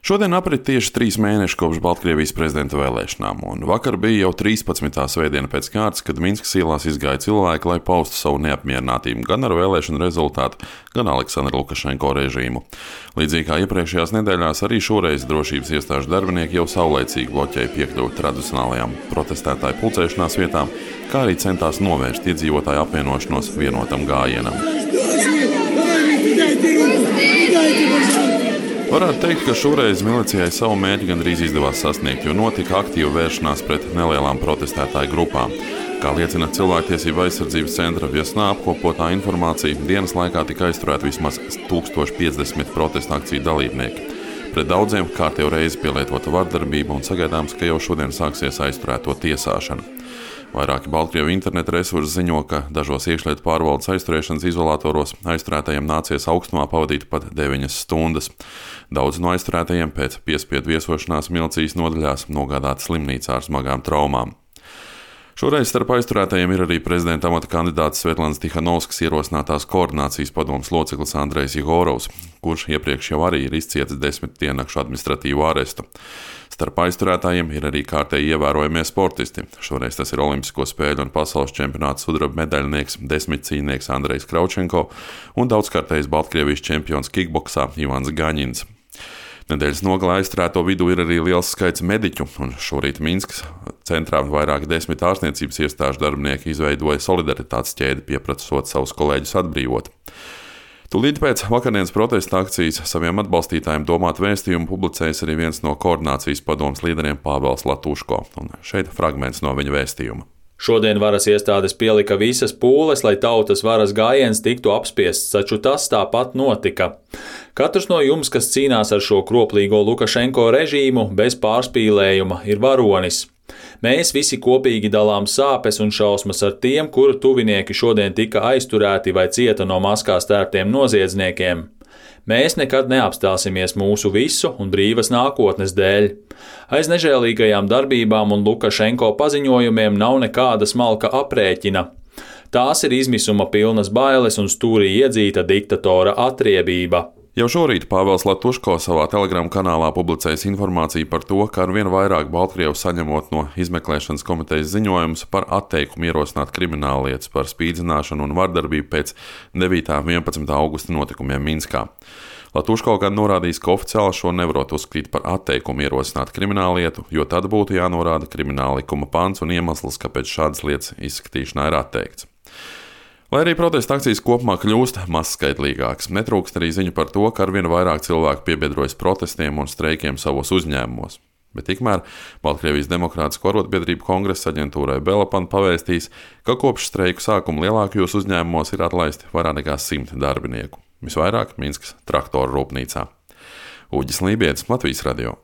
Šodien aprit tieši 3 mēneši kopš Baltkrievijas prezidenta vēlēšanām, un vakar bija jau 13. svētdiena pēc kārtas, kad Minskas ielās izgāja cilvēki, lai paustu savu neapmierinātību gan ar vēlēšanu rezultātu, gan Aleksandra Lukašenko režīmu. Līdzīgi kā iepriekšējās nedēļās, arī šoreiz drošības iestāžu darbinieki jau saulaicīgi bloķēja piekļuvi tradicionālajām protestētāju pulcēšanās vietām, kā arī centās novērst iedzīvotāju apvienošanos vienotam gājienam. Varētu teikt, ka šoreiz milicijai savu mērķi gandrīz izdevās sasniegt, jo notika aktīva vēršanās pret nelielām protestētāju grupām. Kā liecina Cilvēktiesību aizsardzības centra Viesnā apkopotā informācija, dienas laikā tika aizturēti vismaz 1050 protesta akciju dalībnieki. Pret daudziem kārtējo reizi pielietota vardarbība un sagaidāms, ka jau šodien sāksies aizturēto tiesāšana. Vairāki Baltkrievu interneta resursi ziņo, ka dažos iekšlietu pārvaldes aizturēšanas izolatoros aizturētajiem nācies augstumā pavadīt pat 9 stundas. Daudz no aizturētajiem pēc piespiedu viesošanās milicijas nodaļās nogādāti slimnīcā ar smagām traumām. Šoreiz starp aizturētajiem ir arī prezidenta amata kandidāts Svetlanas Tihanovskas ierosinātās koordinācijas padomes loceklis Andrejs Jegorovs, kurš iepriekš jau arī ir izcietis 10 diennakšu administratīvu arestu. Starp aizturētājiem ir arī kārtēji ievērojamie sportisti. Šoreiz tas ir Olimpisko spēļu un pasaules čempionāta sudraba medaļnieks, 10-cīnieks Andrejs Kraučenko un daudzkārtējs Baltkrievijas čempions kikboksā Ivans Gaņins. Nedēļas nogalē aizturēto vidū ir arī liels skaits mediķu, un šorīt Minskas centrā vairāki 10 ārstniecības iestāžu darbinieki izveidoja solidaritātes ķēdi, pieprasot savus kolēģus atbrīvot. Tūlīt pēc vakardienas protesta akcijas saviem atbalstītājiem domāt vēstījumu publicējis arī viens no koordinācijas padomes līderiem Pāvels Latuško, un šeit fragments no viņa vēstījuma. Šodien varas iestādes pielika visas pūles, lai tautas varas gājiens tiktu apspiests, taču tas tāpat notika. Katrs no jums, kas cīnās ar šo kroplīgo Lukašenko režīmu, bez pārspīlējuma, ir varonis. Mēs visi kopīgi dalām sāpes un šausmas ar tiem, kuru tuvinieki šodien tika aizturēti vai cieta no maskās tērptiem noziedzniekiem. Mēs nekad neapstāsimies mūsu visu un brīvas nākotnes dēļ. Aiz nežēlīgajām darbībām un Lukašenko paziņojumiem nav nekāda smalka aprēķina. Tās ir izmisuma pilnas bailes un stūrī iedzīta diktatora atriebība. Jau šorīt Pāvels Latuško savā Telegram kanālā publicējis informāciju par to, ka arvien vairāk Baltkrievu saņemot no izmeklēšanas komitejas ziņojumus par atteikumu ierosināt krimināllietas par spīdzināšanu un vardarbību pēc 9. un 11. augusta notikumiem Minskā. Latuško gan norādījis, ka oficiāli šo nevarot uzskatīt par atteikumu ierosināt krimināllietu, jo tad būtu jānorāda krimināla likuma pants un iemesls, kāpēc šādas lietas izskatīšanā ir atteikts. Lai arī protesta akcijas kopumā kļūst mazskaitlīgākas, netrūkst arī ziņu par to, ka arvien vairāk cilvēku piebiedrojas protestiem un streikiem savos uzņēmumos. Bet tikmēr Baltkrievijas Demokrātisko arotbiedrību kongresa aģentūrai Belapan pavēstīs, ka kopš streiku sākuma lielākajos uzņēmumos ir atlaisti vairāk nekā 100 darbinieku. Visvairāk Minskas traktoru rūpnīcā. Uģis Lībietis, Latvijas radio.